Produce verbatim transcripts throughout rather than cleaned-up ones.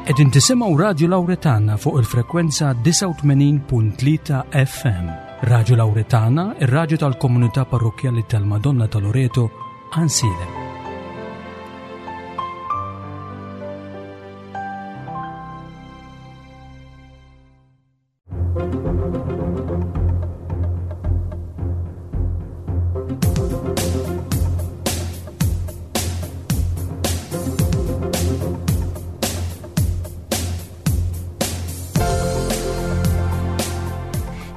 Qegħdin tisimgħu Radio Lauretana fuq il-frekwenza disgħa u tmenin punt tlieta F M. Radio Lauretana, ir-radju tal-komunità parrokkjali tal-Madonna ta' Loreto, Għajnsielem.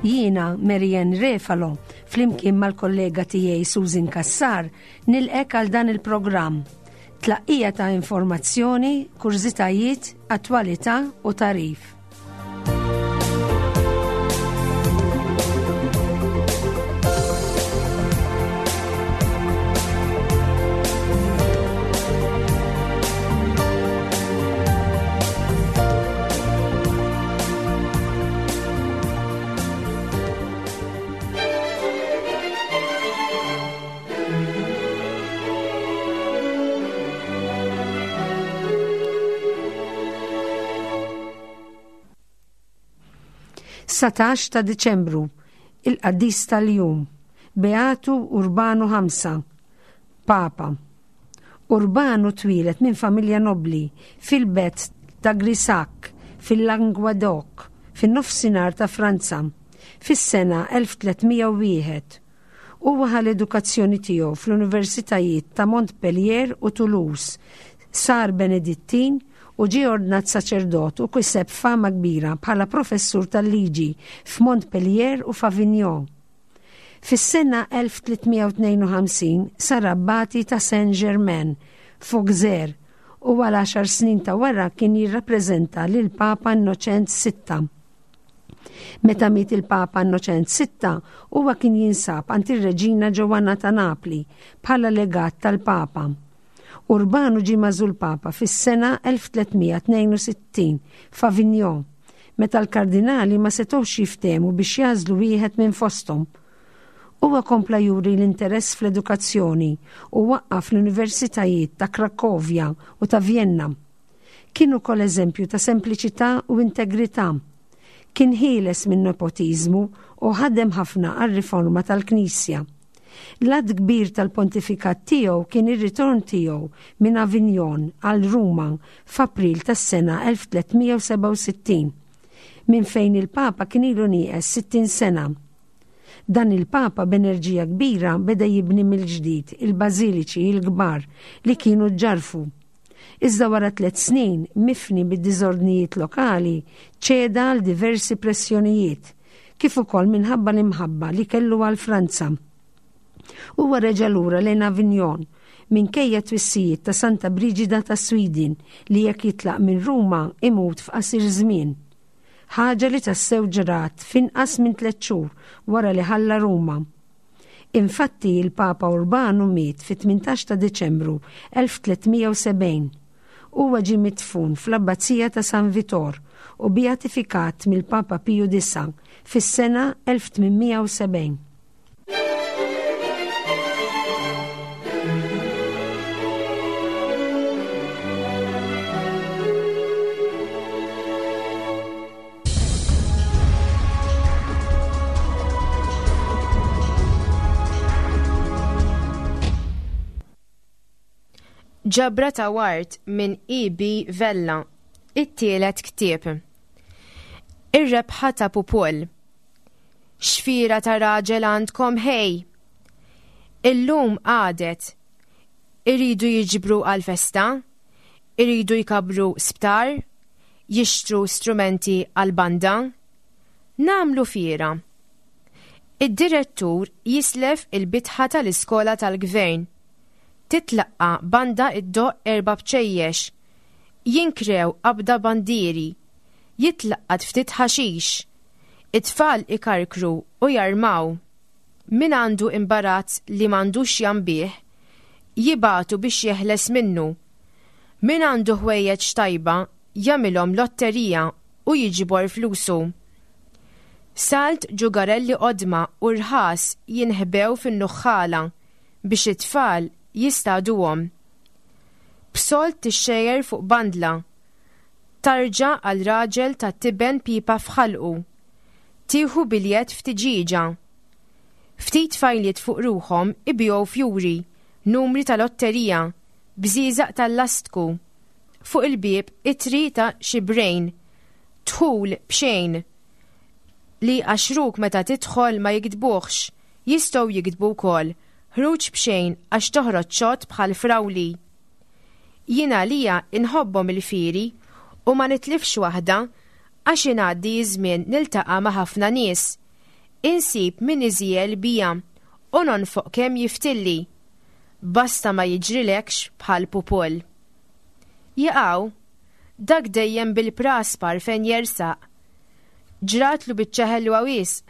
Jiena Marianne Refalo, flimkien mal-kollega tiegħi Susan Kassar, nilqgħek għal dan il-programm. Tlaqqija ta' informazzjoni, kurżitajiet, attwalità u tagħrif. Satax ta' Diċembru, il-qaddis tal-jum, Beatu Urbanu Ħamsa, Papa. Urbanu twieled minn familja nobli fil-belt ta' Grisak, fil-Languedoc, fin-nofsinhar ta' Franza, fis-sena elf tliet mija u wieħed. Huwa ħa l-edukazzjoni tiegħu fl-Universitajiet ta' Montpellier u Toulouse, sar Benedittin u ġie ordnat saċerdot u kiseb fama kbira bħala professur tal-liġi f'Montpellier u f'Avignon. Fis-sena elf tliet mija u tnejn u ħamsin sar abbati ta' Saint-Germain f'Auxerre u għal għaxar snin ta' wara kien jirrappreżenta lil Papa Innoċent Sitta. Meta miet il-Papa Innoċent Sitta, huwa kien jinsab għand ir-Reġina Ġoanna ta' Napli bħala legat tal-Papa. Urbanu ġie magħżul Papa fis-sena elf tliet mija tnejn u sittin f'Avignon, meta l-kardinali ma setgħux jiftehmu biex jagħżlu wieħed minn fosthom. Huwa kompla juri l-interess fl-edukazzjoni u waqqaf l-universitajiet ta' Krakovja u ta' Vienna. Kien ukoll eżempju ta' sempliċità u integrità. Kien ħieles minn nepotizmu u ħadem ħafna għar-riforma tal-Knisja. L-att kbir tal-pontifikat tiegħu kien ir-ritorn tiegħu minn Avignon għal Ruma f'April tas-sena elf tliet mija u sebgħa u sittin, minn fejn il-Papa kien ilu nieqes sittin sena. Dan il-Papa b'enerġija kbira beda jibni mill-ġdid il-bażiliċi il-kbar li kienu ġarfu. Iżda wara tliet snin, mifni bid-diżordnijiet lokali, ċeda għal diversi pressjonijiet, kif ukoll minħabba l-imħabba li kellu għal Franza. Huwa reġa' lura lejn Avignon minkejja twissijiet ta' Santa Brigida ta' Sweden li jekk jitlaq minn Ruma imut f'qasir żmien. Ħaġa li tassew ġrat f'inqas minn tliet xhur wara li ħalla Ruma. Infatti il-Papa Urbanu miet fit-tmintax ta' Deċembru elf tliet mija u sebgħin. Huwa ġie midfun fl-Abbazija ta' San Vitor u beatifikat mill-Papa Piju Disa fis-sena elf tmien mija u sebgħin. Ġabra ta' Ward minn E B. Vella, it-tielet ktieb. Ir-rebħa ta' Pupol. X'fiera ta' raġel għandkom ħej! Illum għadet. Iridu jiġbru għal-festa, iridu jkabru sptar, jixtru strumenti għal-banda. Nagħmlu fiera. Id-direttur jislef il-bitħa tal-iskola tal-gvern. Titlaqqa banda iddoqq erba' bċejjex. Jinkrew qabda bandieri. Jitlaqqat ftit ħaxix. It-tfal ikarkru u jarmaw. Min għandu imbarazz li m'għandux jambih, jibagħtu biex jeħles minnu. Min għandu ħwejjeġ tajba jagħmilhom lotterija u jiġbor flusu. Salt ġugarelli qodma u rħas jinħbew fin-nuħħala biex it-tfal jistaduhom. B'sold tixxejjer fuq bandla. Tarġa għal raġel ta' tiben pipa f'ħalqu. Tieħu biljett f'tiġieġa. Ftit tfajliet fuq ruħhom ibigħu fjuri, numri ta' lotterija, bżieżaq tal-lastku. Fuq il-bieb ittri ta' xibrejn. Dħul b'xejn. Li għaxruk meta tidħol ma jiktbuhx, jistgħu jiktbu wkoll ħruġ b'xejn għax toħroġ xott bħal frawli. Jien għalija inħobbhom il-fieri u ma nitlifx waħda għax ingħaddi żmien niltaqa' ma' ħafna nies. Insib min iżiegħel bija u nonfoq kemm jiftilli. Basta ma jiġrilekx bħal Pupul. Jaqaw, dak dejjem bil-praspar fejn jersaq. Ġratlu biċċa ħelwa wisq.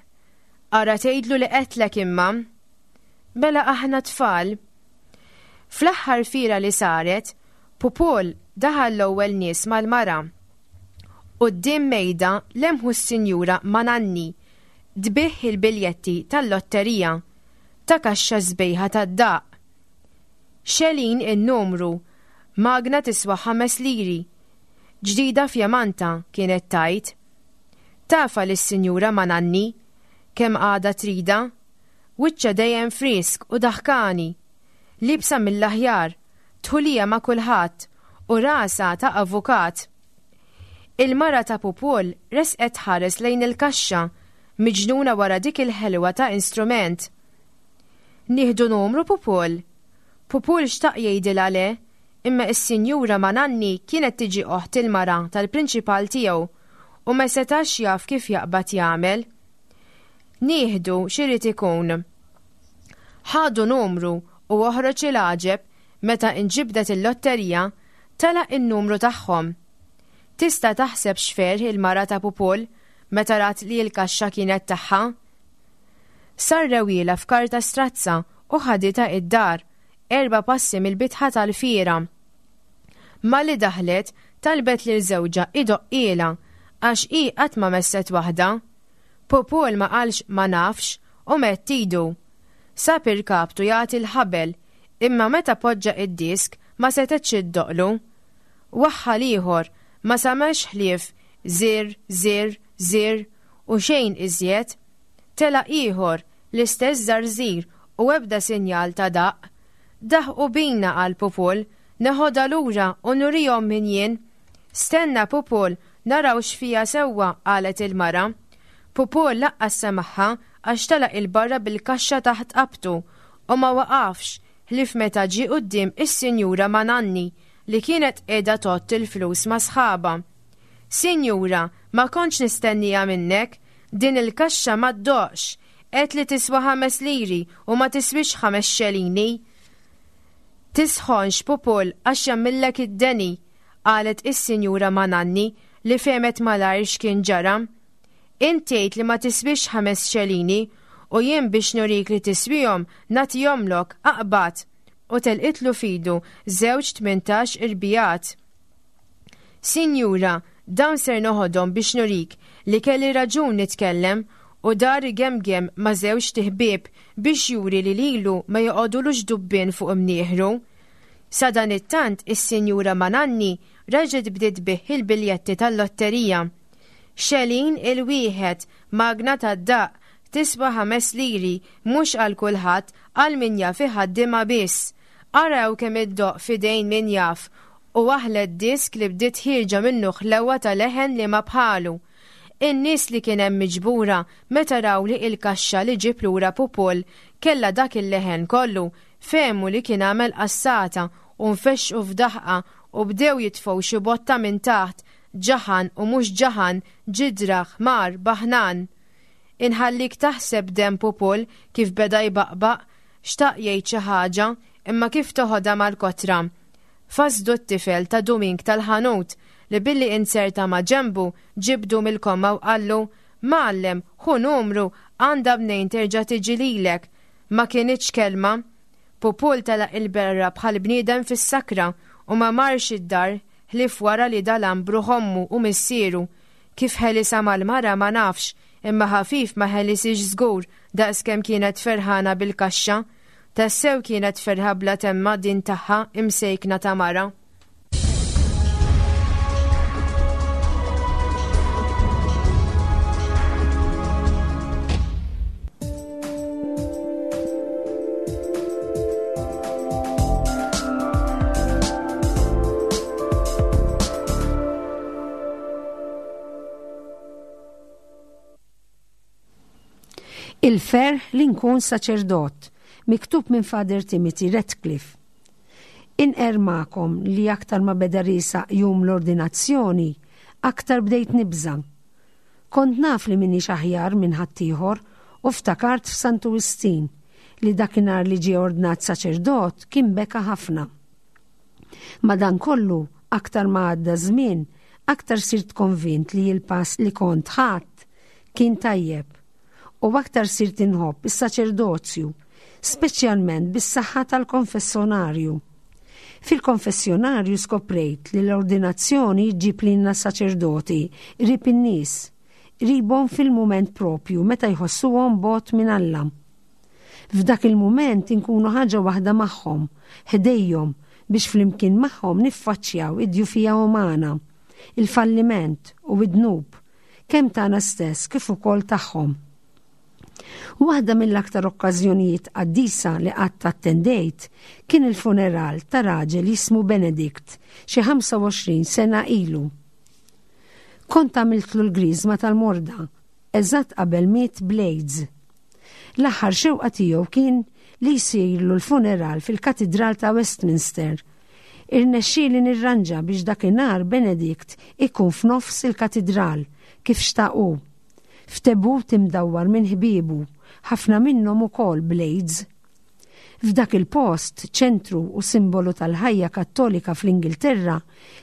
Ara tgħidlu li qedtlek imma. Mela aħna tfal. Fl-aħħar fiera li saret, Pupul daħal l-ewwel nies mal-mara. Quddiem mejda lemħu s-Sinjura Mananni tbigħ il-biljetti tal-lotterija ta' kaxxa sbejħa tad-daqq. Xelin in-numru, magna tiswa ħames liri. Ġdida fjamanta kienet tgħid. Tafha lis-Sinjura Mananni kemm għadha tridha, wiċċha dejjem frisk u daħkani, liebsa mill-aħjar, dħulija ma' kulħadd u rasha ta' avukat. Il-mara ta' Pupul resqet tħares lejn il-kaxxa, miġnuna wara dik il-ħelwa ta' instrument. Nieħdu numru Pupul. Pupul xtaq jgħidilha le, imma is-Sinjura Mananni kienet tiġi oħt il-mara tal-prinċipal tiegħu u ma setax jaf kif jaqbad jagħmel. Nieħdu x'irid ikun. Ħadu numru u oħroġ il-għaġeb meta inġibdet il-lotterija tela' in-numru tagħhom. Tista' taħseb x'ferħ il-mara ta' Pupul meta rat li l-kaxxa kienet tagħha? Sarrewielha f'karta strazza u ħaditha id-dar, erba' passi mill-bitħa tal-fiera. Malli daħlet talbet lil żewġha idoqqielha għax hi qatt ma messet waħda. Pupul ma qalx ma nafx u medd idu. Sab irkaptu jagħti l-ħabel, imma meta poġġa id-disk ma setgħetx iddoqqlu. Waħħal ieħor ma samax ħlief żir, żir, żir u xejn iżjed. Tela' ieħor l-istess żarżir u ebda sinjal ta' daqq. Daħqu bina qal Pupul, neħodha lura u nurihom min jien. Stenna Pupul, naraw x'fiha sewwa, qalet il-mara. Pupul laqqas semagħha għax telaq 'il barra bil-kaxxa taħt qabtu u ma waqafx ħlief meta ġie quddiem is-Sinjura Mananni li kienet qiegħda tgħodd il-flus ma' sħabha. Sinjura, ma kontx nistennija minnek, din il-kaxxa ma ddoqqx, għedt li tiswa ħames liri u ma tiswix ħames xelini. Tisħonx Pupul għax jagħmillek id-deni, qalet is-Sinjura Mananni li fehmet malajr x'kien ġara. Int tgħid li ma tiswix ħames xelini u jien biex nurik li tiswihom nagħtihomlok aqbad u telqitlu f'idu żewġ tmintax irbijat. Sinjura, dawn ser noħodhom biex nurik li kelli raġun nitkellem u dar igemgem ma' żewġt iħbieb biex juri li lilu ma joqogħdulux dubbien fuq imnieħru. Sadanittant is-Sinjura Mananni reġgħet bdiet tbigħ il-biljetti tal-lotterija. Xelin il-wieħed, magna tad-daqq, tiswa ħames liri, mhux għal kulħadd, għal min jaf iħaddimha biss. Araw kemm iddoqq f'idejn min jaf, u waħlet disk li bdiet ħierġa minnu ħlewa ta' leħen li ma bħalu. In-nies li kien hemm miġbura meta raw li il-kaxxa li ġib lura Pupul kellha dak il-leħen kollu, fehmu li kien għamel qassata u nfexxu f'daħqa u bdew jitfgħu xi botta minn taħt, ġaħan u mhux ġaħan, ġidra, ħmar, baħnan. Inħallik taħseb demm Pupul kif beda jbaqbaq, xtaq jgħid xi ħaġa, imma kif toħodha mal-kotra. Fasdu t-tifel ta' Dumink tal-ħanut li billi inserta ma' ġembu ġibdu mill-komma u qallu, Mgħallem, ħu numru, għandha mnejn terġa' tiġi lilek. Ma kinitx kelma. Pupul telaq il-berra bħal bniedem fis-sakra u ma marx id-dar ħlief wara li dalam bruħ ommu u missieru. Kif ħelisha mal-mara ma nafx, imma ħafif ma ħelisix żgur daqskemm kienet ferħana bil-kaxxa. Tassew kienet ferħa bla temma din tagħha imsejkna ta' mara. Il-ferħ li nkun saċerdot, miktub minn Father Timothy Radcliffe. Inqerr magħkom li aktar ma beda riesaq jum l-ordinazzjoni, aktar bdejt nibża'. Kont naf li m'iniex aħjar minn ħaddieħor u ftakart f'Santu Wistin li dakinhar li ġie ordnat saċerdot kien beka ħafna. Madankollu, aktar ma għadda żmien, aktar sirt konvint li l-pass li kont ħadt kien tajjeb u aktar sirt inħobb is-saċerdozju, speċjalment bis-saħħa tal-konfessjonarju. Fil-konfessjonarju skoprejt li l-ordinazzjoni ġġib lilna saċerdoti qrib in-nies, qribhom fil-mument propju meta jħossuhom bogħod minn Alla. F'dak il-mument inkunu ħaġa waħda magħhom, ħdejhom, biex flimkien magħhom niffaċċjaw id-djufija umana, il-falliment u id-dnub, kemm tagħna stess kif ukoll tagħhom. Waħda mill-aktar okkażjonijiet qaddisa li qatt attendejt kien il-funeral ta' raġel jismu Benedict xi ħamsa u għoxrin sena ilu. Kont għamiltlu l-griżma tal-morda, eżatt qabel miet bl-AIDS. L-aħħar xewqa tiegħu kien li jsirlu l-funeral fil-Katidral ta' Westminster. Irnexxieli nirranġa biex dakinhar Benedict ikun f'nofs il-katidral kif xtaqu. F'tebut imdawwar minn ħbiebu, ħafna minnhom ukoll bl-AIDS. F'dak il-post, ċentru u simbolu tal-ħajja kattolika fl-Ingilterra,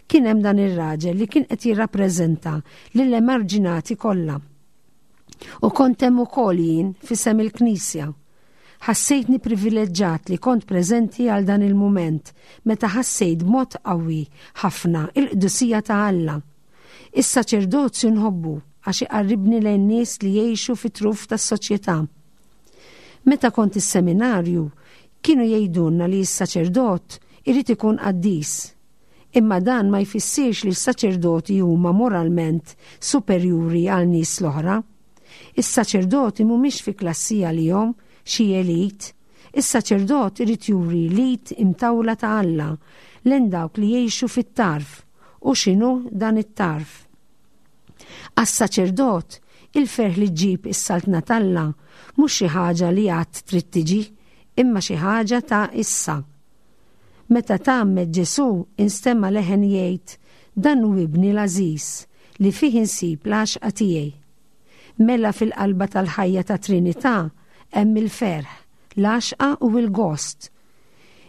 kien hemm dan ir-raġel li kien qed jirrappreżenta lill-emarġinati kollha. U kont hemm ukoll jien f'isem il-Knisja. Ħassejtni privileġġat li kont preżenti għal dan il-mument meta ħassejt b'mod qawwi ħafna il-qdusija ta' Alla. Is-saċerdozju nħobbu għax iqarribni lejn nies li jgħixu fit-truf tas-soċjetà. Meta kont is-seminarju, kienu jgħidulna li s-saċerdot irid ikun qaddis. Imma dan ma jfissirx li s-saċerdoti huma moralment superjuri għal nies l-oħra. Is-saċerdoti mhumiex fi klassi għalihom xi elit. Is-saċerdot irid juri l-id imtawla ta' Alla lejn dawk li jgħixu fit-tarf. U x'inhu dan it-tarf? Għas-saċerdot, il-ferħ li ġġib is-saltna t'Alla mhux xi ħaġa li għad trid tiġi, imma xi ħaġa ta' issa. Meta tgħammed Ġesù instema' leħen jgħid, Dan hu ibni l-għażiż li fih insib l-għaxqa tiegħi. Mela fil-qalba tal-ħajja ta' Trinità hemm il-ferħ, l-għaxqa u l-gost.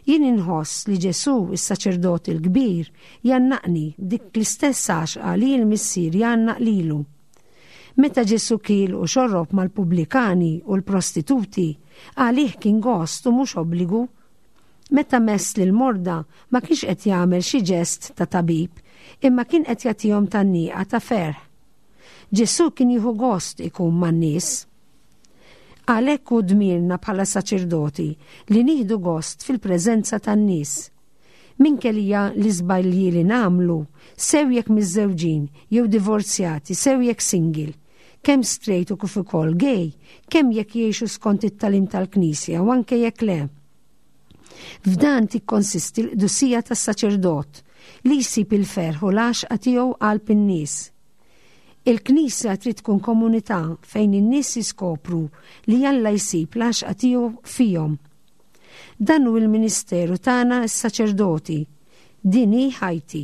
Jien inħoss li Ġesù, is-saċerdot il-kbir, jgħannaqni b'dik l-istess għaxqa li l-Missier jgħannaq lilu. Meta Ġesù kiel u xorrob mal-pubblikani u l-prostituti, għalih kien gost u mhux obbligu. Meta mess lil morda ma kienx qed jagħmel xi ġest ta' tabib, imma kien qed jagħtihom tgħanniqa ta' ferħ. Ġesù kien jieħu gost ikun man-nies. Għalhekk hu dmirna bħala saċerdoti li nieħdu gost fil-preżenza tan-nies. Minkejja l-iżbalji li nagħmlu, sew jekk miżżewġin jew divorzjati, sew jekk single, kemm straight u kif ukoll gay, kemm jekk jgħixu skont it-tagħlim tal-Knisja u anke jekk le. F'dan tikkonsisti l-qdusija tas-saċerdot li jsib il-ferħ u l-għaxqa tiegħu qalb in-nies. Il-Knisja trid tkun komunità fejn in-nies jiskopru li Alla jsib l-għaxqa tiegħu fihom. Dan hu l-ministeru tagħna s-saċerdoti. Din hi ħajti.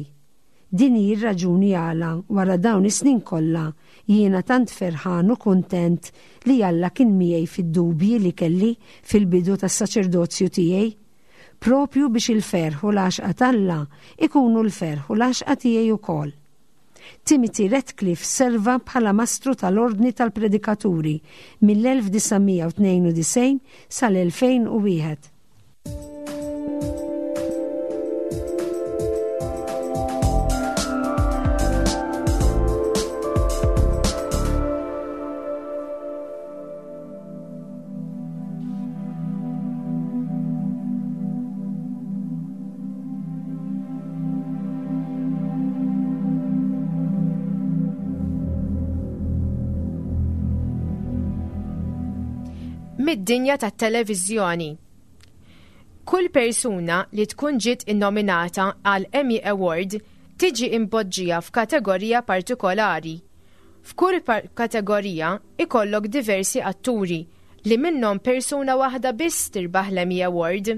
Din hi r-raġuni għala wara dawn is-snin kollha jiena tant ferħan u kuntent li Alla kien miegħi fid-dubji li kelli fil-bidu tas-saċerdozju tiegħi. Propju biex il-ferħ u l-għaxqa t'Alla ikunu l-ferħ u l-għaxqa tiegħi wkoll. Timothy Radcliffe serva bħala mastru tal-Ordni tal-Predikaturi mill-elf disa' mija u tnejn u disgħin sal-elfejn u wieħed. Mid-dinja tat-televiżjoni. Kull persuna li tkun ġiet innominata għal Emmy Award tiġi impoġġija f'kategorija partikolari. F'kull par-, kategorija ikollok diversi atturi li minnhom persuna waħda biss tirbaħ l-Emmy Award.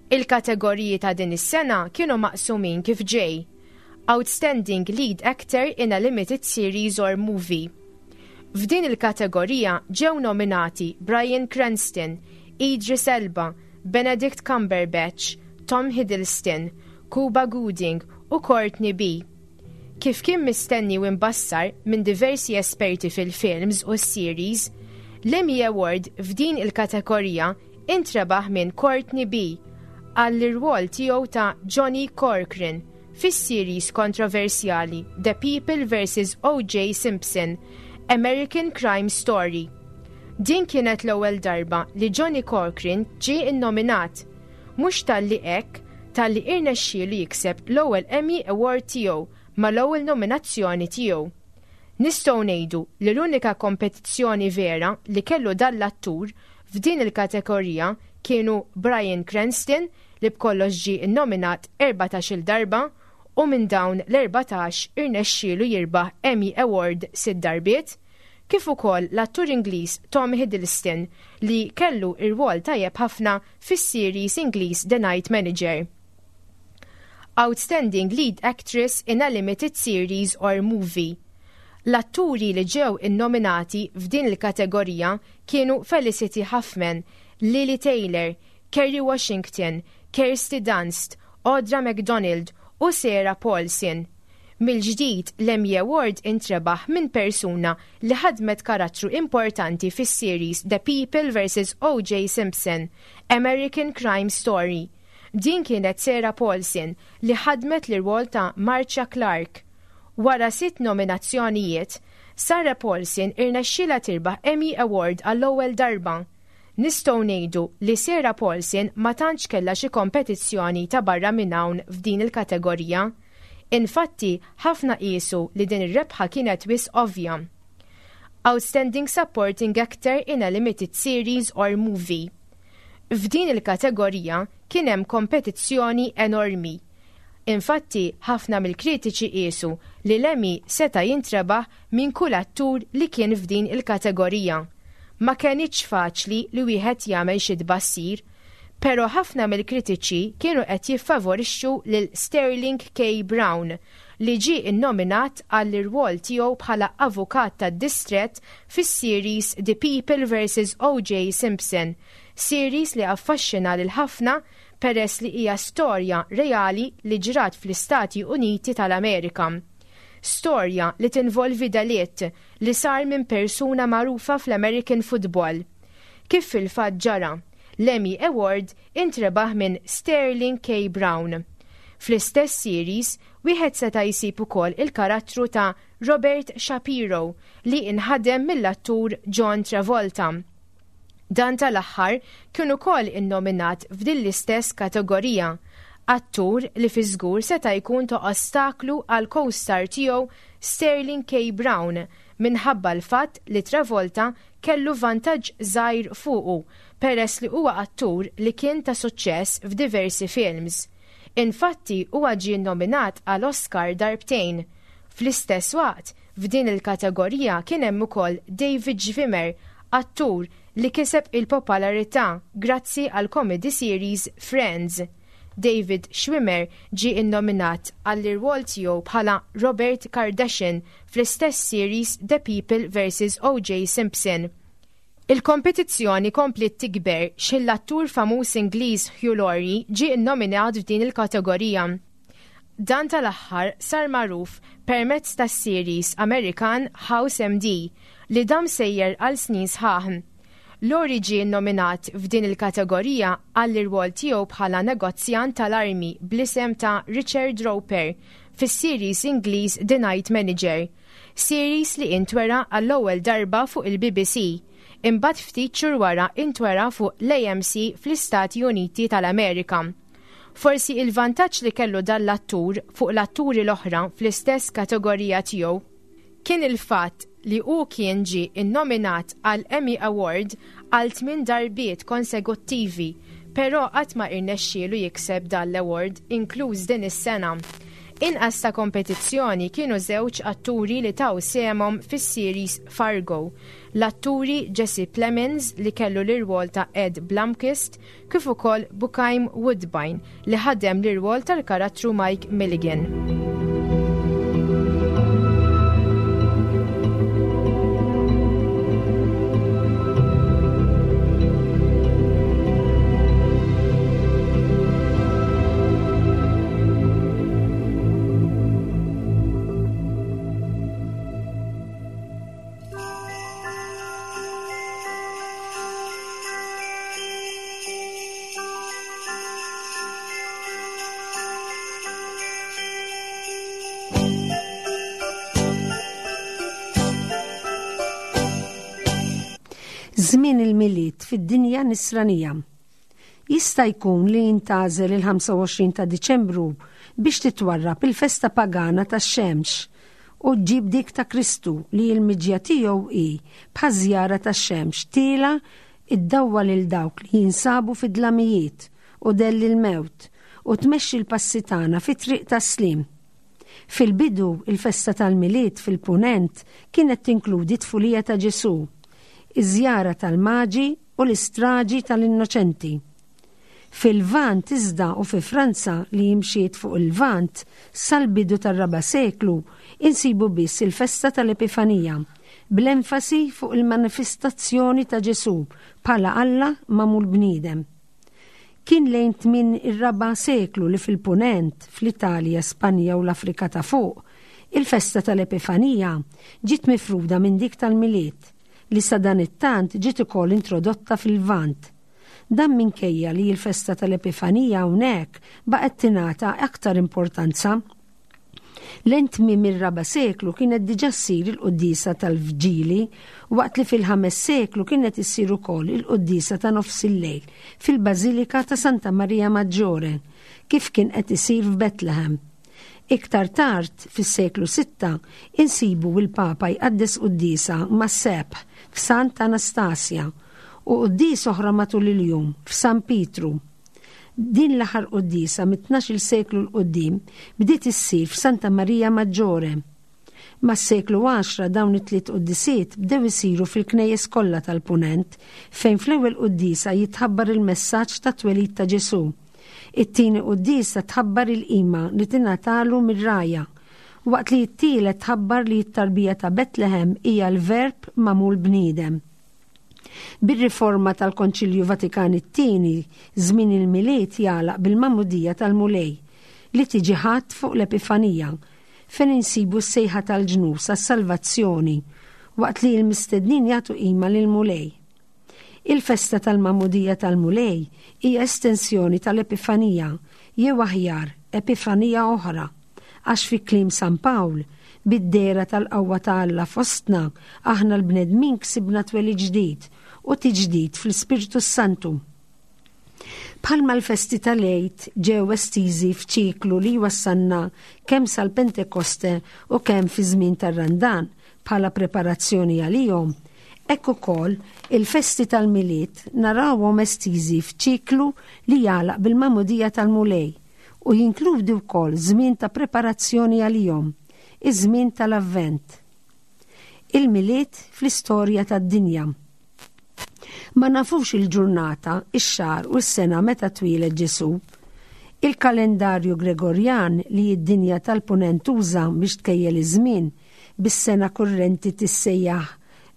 Il-kategoriji ta' din is-sena kienu maqsumin kif ġej: Outstanding Lead Actor in a Limited Series or Movie. F'din il-kategorija ġew nominati Bryan Cranston, Idris Elba, Benedict Cumberbatch, Tom Hiddleston, Cuba Gooding u Courtney B. Kif kien mistenni u imbassar minn diversi esperti fil-films u series, l-Emmy Award f'din il-kategorija intrebaħ minn Courtney B għall-irwol tiegħu ta' Johnny Corcoran fis-series kontroversjali The People versus O J. Simpson, American Crime Story. Din kienet l-ewwel darba li Johnny Corcoran ġie innominat. Mhux talli hekk, talli irnexxielu jikseb l-ewwel Emmy Award tiegħu mal-ewwel nominazzjoni tiegħu. Nistgħu ngħidu li l-unika kompetizzjoni vera li kellu dan l-attur f'din il-kategorija kienu Bryan Cranston, li b'kollox ġie innominat erbatax-il darba u minn dawn l-erbatax irnexxielu jirbaħ Emmy Award sitt darbiet, kif ukoll l-attur Ingliż Tom Hiddleston, li kellu ir-rwol tajjeb ħafna fis-series Ingliż The Night Manager. Outstanding Lead Actress in a Limited Series or Movie. L-atturi li ġew innominati f'din il-kategorija kienu Felicity Huffman, Lili Taylor, Kerry Washington, Kirsty Dunst, Audra McDonald u Sarah Paulson. Mill-ġdid, l-Emmy Award intrebaħ minn persuna li ħadmet karattru importanti fis-series The People versus O J. Simpson, American Crime Story. Din kienet Sarah Paulson, li ħadmet l-rwol ta' Marcia Clark. Wara sitt nominazzjonijiet, Sarah Paulson irnexxila tirbaħ Emmy Award għall-ewwel darba. Nistgħu ngħidu li Sarah Paulson ma tantx kellha xi kompetizzjoni ta' barra minn hawn f'din il-kategorija. Infatti, ħafna qisu li din ir-rebħa kienet wisq ovvja. Outstanding Supporting Actor in a Limited Series or Movie. F'din il-kategorija kien hemm kompetizzjoni enormi. Infatti, ħafna mill-kritiċi qisu li l-Emmy seta' jintrebaħ minn kull attur li kien f'din il-kategorija. Ma kenitx faċli li wieħed jagħmel xi tbassir, però ħafna mill-kritiċi kienu qed jiffavorixxu lil Sterling K. Brown, li ġie innominat għall irwol tiegħu bħala avukat tad-distret fis-series The People versus O J. Simpson, series li affaxxina lil ħafna peress li hija storja reali li ġrat fl-Istati Uniti tal-Amerika. Storja li tinvolvi delitt li sar minn persuna magħrufa fl-American football. Kif fil-fatt ġara, l-Emmy Award intrebaħ minn Sterling K. Brown. Fl-istess series, wieħed seta' jsib ukoll il-karattru ta' Robert Shapiro, li inħadem mill-attur John Travolta. Dan tal-aħħar kien ukoll innominat f'din l-istess kategorija, attur li fi żgur seta' jkun ta' ostaklu għal co-star tiegħu Sterling K. Brown minħabba l-fatt li Travolta kellu vantaġġ żgħir fuqu peress li huwa attur li kien ta' suċċess f'diversi films. Infatti, huwa ġie nominat għal Oscar darbtejn. Fl-istess waqt, f'din il-kategorija kien hemm ukoll David Schwimmer, attur li kiseb il-popolarità grazzi għal comedy series Friends. David Schwimmer ġie innominat għall-irwol tiegħu bħala Robert Kardashian fl-istess series The People versus O J. Simpson. Il-kompetizzjoni kompliet tikber x'ħin l-attur famuż Ingliż Hugh Laurie ġie innominat f'din il-kategorija. Dan tal-aħħar sar magħruf permezz tas-series Amerikan House M D, li dam sejjer għal snin sħaħ. Laurie ġie nominat f'din il-kategorija għall-irwol tiegħu bħala negozjant tal-armi bl-isem ta' Richard Roper fis-series Ingliż The Night Manager, series li intwera għall-ewwel darba fuq il-B B C, imbagħad ftit xhur wara intwera fuq l-A M C fl-Istati Uniti tal-Amerika. Forsi il-vantaġġ li kellu dan l-attur fuq l-atturi l-oħra fl-istess kategorija tiegħu kien il-fatt li hu kien ġie innominat għal Emmy Award għal tmien darbiet konsekuttivi, però qatt ma irnexxielu jikseb dan l-award, inkluż din is-sena. Inqas ta' kompetizzjoni kienu żewġ atturi li taw sehemhom fis-series Fargo. L-atturi Jesse Plemons li kellu l-irwol ta' Ed Blomquist kif ukoll Bokeem Woodbine li ħadem l-irwol tal-karattru Mike Milligan. Żmien il-Milied fid-dinja nisranija. Jista' jkun li jintgħażel il-ħamsa u għoxrin ta' Diċembru biex titwarrab il-festa pagana tax-xemx u ġġib dik ta' Kristu li l-miġja tiegħu hi bħaż-żjara tax-xemx tiela iddawwa lil dawk li jinsabu fid-dlamijiet u dell il-mewt u tmexxi l-passi tagħna fit-triq tas-slim. Fil-bidu, il-festa tal-Milied fil-Punent kienet tinkludi tfulija ta' Ġesù, iż-żjara tal-Maġi u l-istraġi tal-Innoċenti. Fil-Lvant iżda u fi Franza li jimxiet fuq il-Lvant sal-bidu tar-raba' seklu insibu biss il-festa tal-Epifanija, bl-enfasi fuq il-manifestazzjoni ta' Ġesù bħala Alla magħmul bniedem. Kien lejn tmien ir-raba' seklu li fil-Punent, fl-Italja, Spanja u l-Afrika ta' fuq, il-festa tal-Epifanija ġiet mifruda minn dik tal-Milied, li sa dan it-tant ġiet ukoll introdotta fil-Lvant. Dan minkejja li l-festa tal-Epifanija hawnhekk baqgħet tingħata aktar importanza. Lejn tmiem ir-raba' seklu kienet diġà ssir il-quddiesa tal-Vġili, waqt li fil-ħames seklu kienet issir ukoll il-quddiesa ta' nofs il-lejl fil-Bażilika ta' Santa Maria Maggiore, kif kien qed isir f'Bethlehem. Iktar tard, fis-seklu sitta, insibu l-Papa jqaddes quddiesa mas-sebħ f'Santa Anastasia u quddies oħra matul il-jum f'San Pietru. Din l-aħħar quddiesa mit-tnax-il seklu l quddiem bdiet issir f'Santa Maria Maggiore. Mas-seklu għaxra dawn it-tliet quddisiet bdew isiru fil-knejjes kollha tal-Punent, fejn fl-ewwel quddiesa jitħabbar il-messaġġ ta' twelid ta' Ġesù. It-tieni quddiesa tħabbar il-qima li tingħatalu mir-rgħajja, waqt li t-tielet tħabbar li t-tarbija ta' Betlehem hija l-verb magħmul bniedem. Bir-riforma tal-Konċilju Vatikan it-tieni, żmien il-Milied jagħlaq bil-Magħmudija tal-Mulej li tiġi ħadd fuq l-Epifanija, fejn insibu s-sejħa tal-ġnus għas-salvazzjoni waqt li l-mistednin jagħtu qima lill-Mulej. Il-festa tal-Magħmudija tal-Mulej hija estensjoni tal-Epifanija, jew aħjar Epifanija oħra, għax fi kliem San Pawl, bid-dehra tal-qawwa ta' Alla fostna, aħna l-bnedmin ksibna twelid ġdid u tiġdid fl-Ispirtu Santu. Bħalma l-festi tal-Għid ġew estiżi f'ċiklu li wassalna kemm sal-Pentekoste u kemm fi żmien tar-Randan bħala preparazzjoni għalihom, hekk ukoll il-festi tal-Milied narawhom estiżi f'ċiklu li jagħlaq bil-Magħmudija tal-Mulej u jinkludi wkoll żmien ta' preparazzjoni għalihom, iż-żmien tal-Avvent. Il-Milied fl-istorja tad-dinja. Ma nafux il-ġurnata, ix-xahar u s-sena meta twieled Ġesù. Il-kalendarju Gregorjan li d-dinja tal-Punent tuża biex tkejjel iż-żmien bis-sena kurrenti tissejjaħ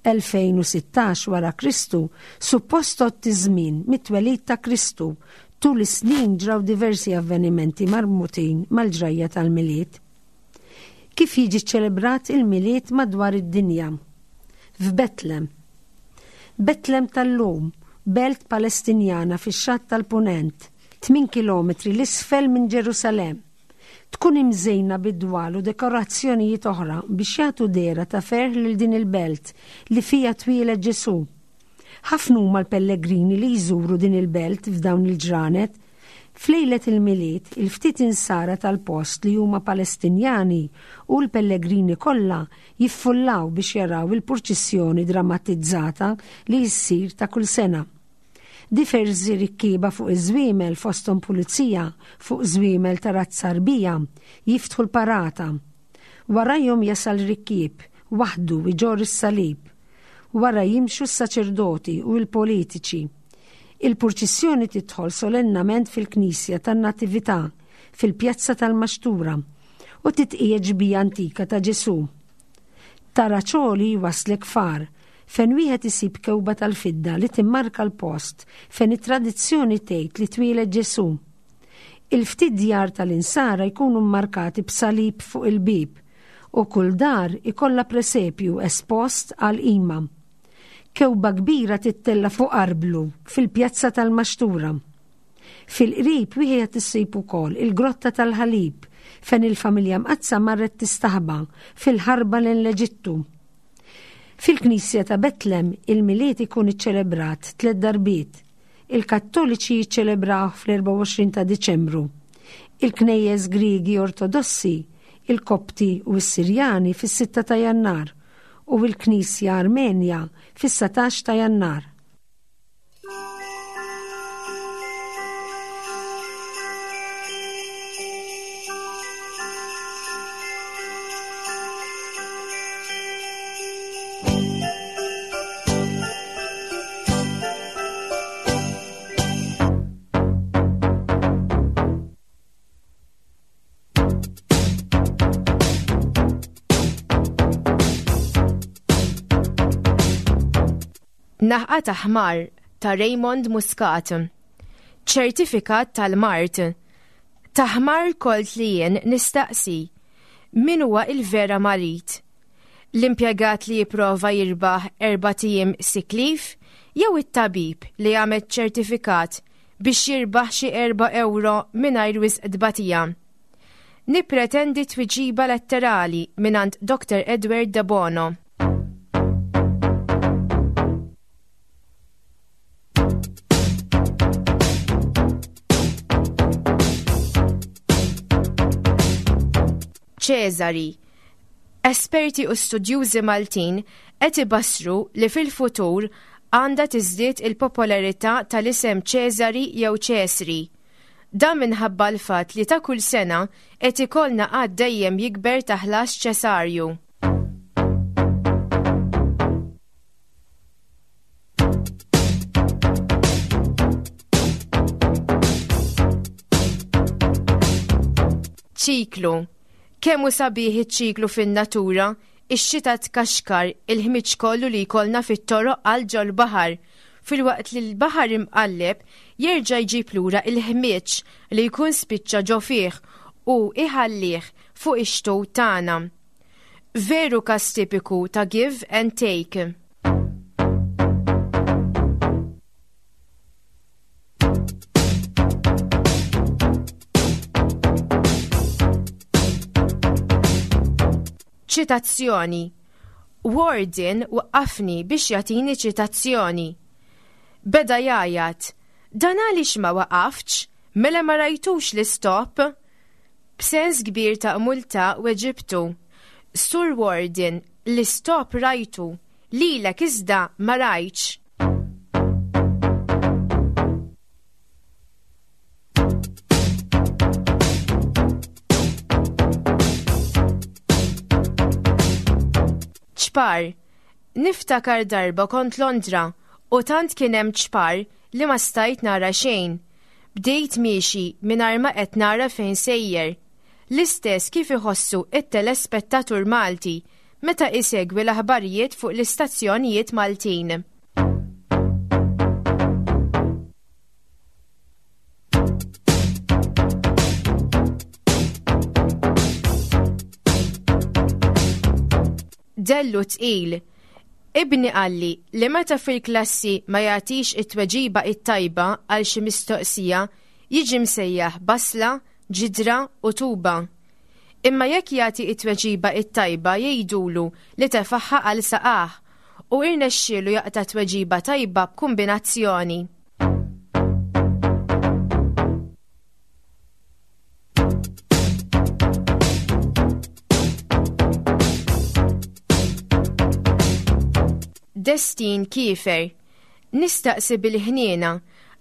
elfejn u sittax wara Kristu, suppost tgħodd iż-żmien mit-twelid ta' Kristu. Tul is-snin ġraw diversi avvenimenti marbutin mal-ġrajja tal-Milied. Kif jiġi ċelebrat il-Milied madwar id-dinja? F'Betlem. Betlem tal-lum, belt Palestinjana fix-xatt tal-Punent, tmien kilometri l-isfel minn Ġerusalemm. Tkun imżejna bid-dwal u dekorazzjonijiet oħra biex jagħtu dehra ta' ferħ lil din il-belt li fija twieled Ġesù. Ħafna huma l-pellegrini li jżuru din il-belt f'dawn il-ġranet. F'lejlet il-Milied, il-ftit insara tal-post li huma Palestinjani u l-pellegrini kollha jiffullaw biex jaraw il-purċissjoni drammatizzata li jsir ta' kull sena. Diversi rikkieba fuq iż-żwiemel fosthom pulizija fuq żwiemel ta' razza Arbija jiftħu l-parata. Warajhom jasal rikkieb waħdu iġorr is-salib. Wara jimxu s-saċerdoti u l-politiċi. Il-purċissjoni tidħol solennament fil-Knisja tan-Natività fil-Pjazza tal-Maxtura u titqiegħed xbieha antika ta' Ġesù. Taraċoli waslek far fejn wieħed isib kewba tal-fidda li timmarka l-post fejn it-tradizzjoni tgħid li twieled Ġesù. Il-ftit djar tal-insara jkunu mmarkati b'salib fuq il-bib u kull dar ikollha presepju espost għal qima. Kewba kbira tittella fuq arblu fil-pjazza tal-Maxtura. Fil-qrib wieħed issib ukoll il-Grotta tal-Ħalib fejn il-familja Mqaddsa marret tistaħba fil-ħarba lejn l-Eġittu. Fil-Knisja ta' Betlem il-Milied ikun iċċelebrat tliet darbiet. Il-Kattoliċi jiċċelebraw fl-erbgħa u għoxrin ta' Diċembru. Il-Knejjes Griegi Ortodossi, il-Kopti u s-Sirjani fis-sitta ta' Jannar u l-Knisja Armenja fis-satax ta' Jannar. Naħqa ta' ħmar ta' Raymond Muscat. Ċertifikat tal-mard. Ta' ħmar kolt li jien nistaqsi. Min huwa il-vera marid? L-impjegat li jipprova jirbaħ erbat ijiem sick leave jew it-tabib li għamel ċertifikat biex jirbaħ xi erba' euro mingħajr wisq tbatija? Nippretendi tweġiba letterali mingħand Doctor Edward Debono. Ċesari. Esperti u studjużi Maltin qed ibassru li fil-futur għandha tiżdied il-popolarità tal-isem Ċesari jew Ċesri. Dan minħabba l-fatt li ta' kull sena qed ikollna għadd dejjem jikber ta' ħlas ċesarju. Ċiklu. Kemm hu sabiħ iċ-ċiklu fin-natura, ix-xita tkaxkar il-ħmiġ kollu li jkollna fit-toroq għal ġol-baħar, filwaqt li l-baħar imqalleb jerġa' jġib lura il-ħmiġ li jkun spiċċa ġo fih u iħallih fuq ix-xtut tagħna. Veru każ tipiku ta' give and take. Ċitazzjoni. Warden waqqafni biex jagħtini ċitazzjoni. Beda jgħajjat, dan għaliex ma waqaftx, mela ma rajtux l-istop? B'sens kbir ta' multa weġibtu. Sur Warden, l-istop rajtu, lilek iżda ma rajtx. Ċpar. Niftakar darba kont Londra u tant kien hemm ċpar li ma stajt nara xejn. Bdejt miexi mingħajr ma qed nara fejn sejjer. L-istess kif iħossu it-telespettatur Malti meta isegwi l-aħbarijiet fuq l-istazzjonijiet Maltin. Dellu tqil. Ibni qalli li meta fil-klassi ma jagħtix it-tweġiba it-tajba għal xi mistoqsija jiġi msejjaħ basla, ġidra u tuba. Imma jekk jagħti it-tweġiba it-tajba jgħidulu li tefaħħa għal saqah u irnexxielu jaqta' tweġiba tajba b'kumbinazzjoni. Destin kiefer. Nistaqsi bil-ħniena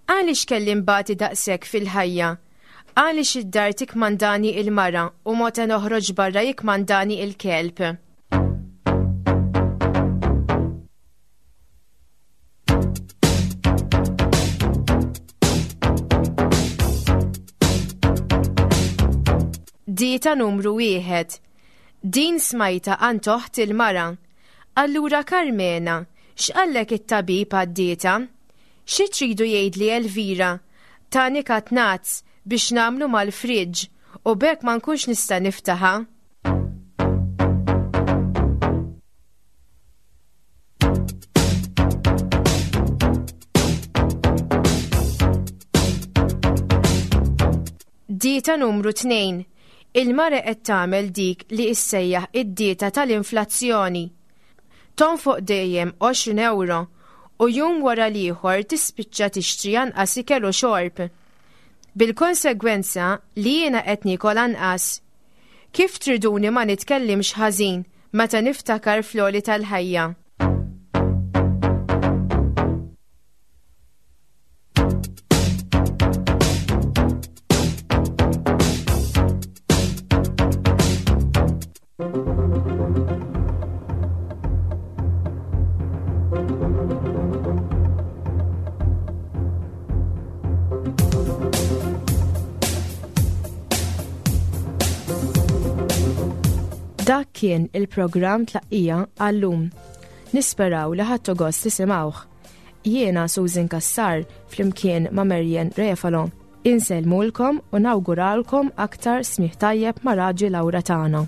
Għaliex kelli nbati daqshekk fil-ħajja? Għaliex id-dar tikmandani il-mara u meta noħroġ barra jikmandani il-kelb? Dieta numru wieħed. Din smajta għand oħt il-mara. Allura Karmena, x'qallek it-tabib għad-dieta? Xi tridu jgħidli Elvira? Tani katnazz biex nagħmlu mal-friġġ u b'hekk ma nkunx nista' niftaħha. Dieta numru tnejn. Il-mara qed tagħmel dik li issejjaħ id-dieta tal-inflazzjoni. Tonfoq dejjem għoxrin ewro u jum wara l-ieħor tispiċċa tixtri anqas ikel u xorb. Bil-konsegwenza li jiena qed niekol anqas. Kif triduni ma nitkellimx ħażin meta niftakar fl-għoli tal-ħajja? Dak kien il-programm Tlaqqija għallum. Nisperaw li ħadtu gost tisimgħuh. Jiena Susan Cassar flimkien ma' Marian Refalo. Insellmulkom u nawguralkom aktar smigħ tajjeb ma' Raġi Lawra tagħna.